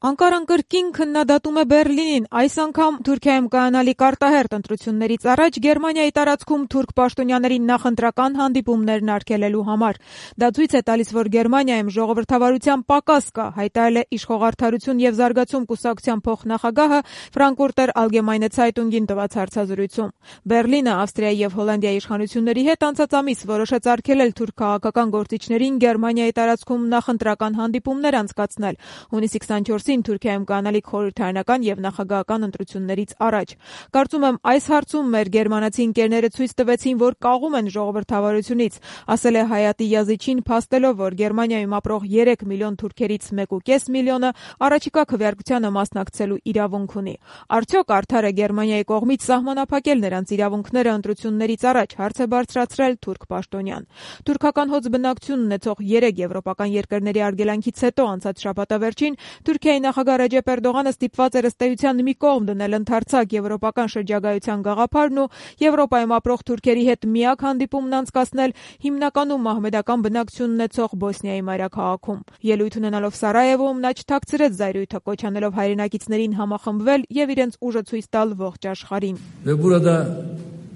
Անկարան կրկին քննադատում է Բեռլինին, այս անգամ Թուրքիայում կայանալիք արտահերթ ընտրություններից առաջ Գերմանիայի տարածքում թուրք պաշտոնյաների նախընտրական հանդիպումներն արգելելու համար։ Դա ցույց է տալիս, որ Գերմանիայում ժողովրդավարության պակաս կա, հայտարարել է Իշխող-Արդարություն և զարգացում կուսակցության փոխնախագահը Ֆրանկֆուրտեր Ալգեմայնե Ցայտունգին տված հարցազրույցում։ Բեռլինը Ավստրիայի և Հոլանդիայի իշխանությունների հետ անցած ամիս որոշեց արգելել թուրք քաղաքական գործիչներին Գերմանիայի տարածքում նախընտրական հանդիպումներ անցկացնել հունիսի 24-ին Թուրքիայում կանալիք խորհրդարանական և նախագահական ընտրություններից առաջ։ Կարծում եմ, այս հարցում մեր գերմանացի ընկերները ցույց տվեցին, որ կաղում են ժողովրդավարությունից, ասել է Հայատի Յազիչին, փաստելով, որ Գերմանիայում ապրող 3 միլիոն թուրքերից 1.5 միլիոնը առաջիկա քվեարկությանը մասնակցելու իրավունք ունի։ Արդյոք արդար է Գերմանիայի կողմից սահմանափակել նրանց իրավունքները ընտրություններից առաջ, հարց է բարձրացրել թուրք պաշտոնյան։ Թուրքական հոծ բնակչություն ունեցող 3 եվրոպական երկրների արգելանքից հետո անցած շաբաթավերջին Թուրքիայի նախագահ Ռեջեփ Էրդողանը ստիպված էր ըստ էության մի կողմ դնել ընդարձակ եվրոպական շրջագայության գաղափարն ու Եվրոպայում ապրող թուրքերի հետ միակ հանդիպումն անցկացնել հիմնականում մահմեդական բնակչություն ունեցող Բոսնիայի մայրաքաղաքում։ Ելույթ ունենալով Սարայևոում նա չթաքցրեց զայրույթը, կոչ անելով հայրենակիցներին համախմբվել և իրենց ուժը ցույց տալ ողջ աշխարհին։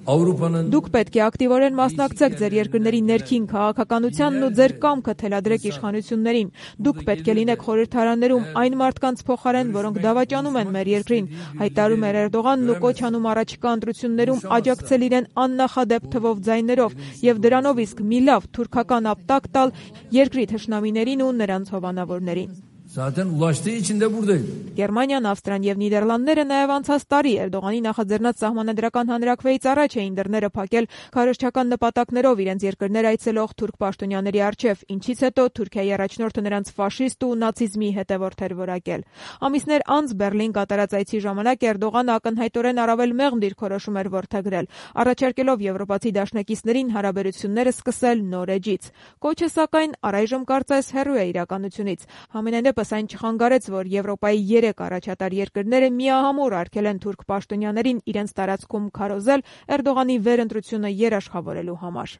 Դուք պետք է ակտիվորեն մասնակցեք ձեր երկրների ներքին քաղաքականությանն ու ձեր կամքը թելադրեք իշխանություններին։ Դուք պետք է լինեք խորհրդարաններում այն մարդկանց փոխարեն, որոնք դավաճանում են մեր երկրին, հայտարարում էր Էրդողանն ու կոչ անում առաջիկա ընտրություններում աջակցել իրեն աննախադեպ թվով ձայներով և դրանով իսկ մի լավ թուրքական ապտակ տալ երկրի թշնամիներին ու նրանց հովանավորներին։ Գերմանիան, Ավստրիան և Նիդերլանդները նաև անցած տարի Էրդողանի նախաձեռնած սահմանադրական հանրաքվեից առաջ էին դռները փակել քարոզչական նպատակներով իրենց երկրներ այցելող թուրք պաշտոնյաների առջև, ինչից հետո Թուրքիայի առաջնորդը նրանց ֆաշիստ ու նացիզմի հետևորդ էր որակել։ Ամիսներ անց Բեռլին կատարած այցի ժամանակ Էրդողանը ակնհայտորեն առավել մեղմ դիրքորոշում էր որդեգրել, առաջարկելով եվրոպացի դաշնակիցներին հարաբերությունները սկսել նոր էջից։ Կոչը, սակայն, առայժմ կարծես հեռու է իրականությունից։ Համենայնդեպս այն չխանգարեց, որ Եվրոպայի 3 առաջատար երկրները միահամուռ արգելեն թուրք պաշտոնյաներին իրենց տարածքում քարոզել Էրդողանի վերընտրությունը երաշխավորելու համար։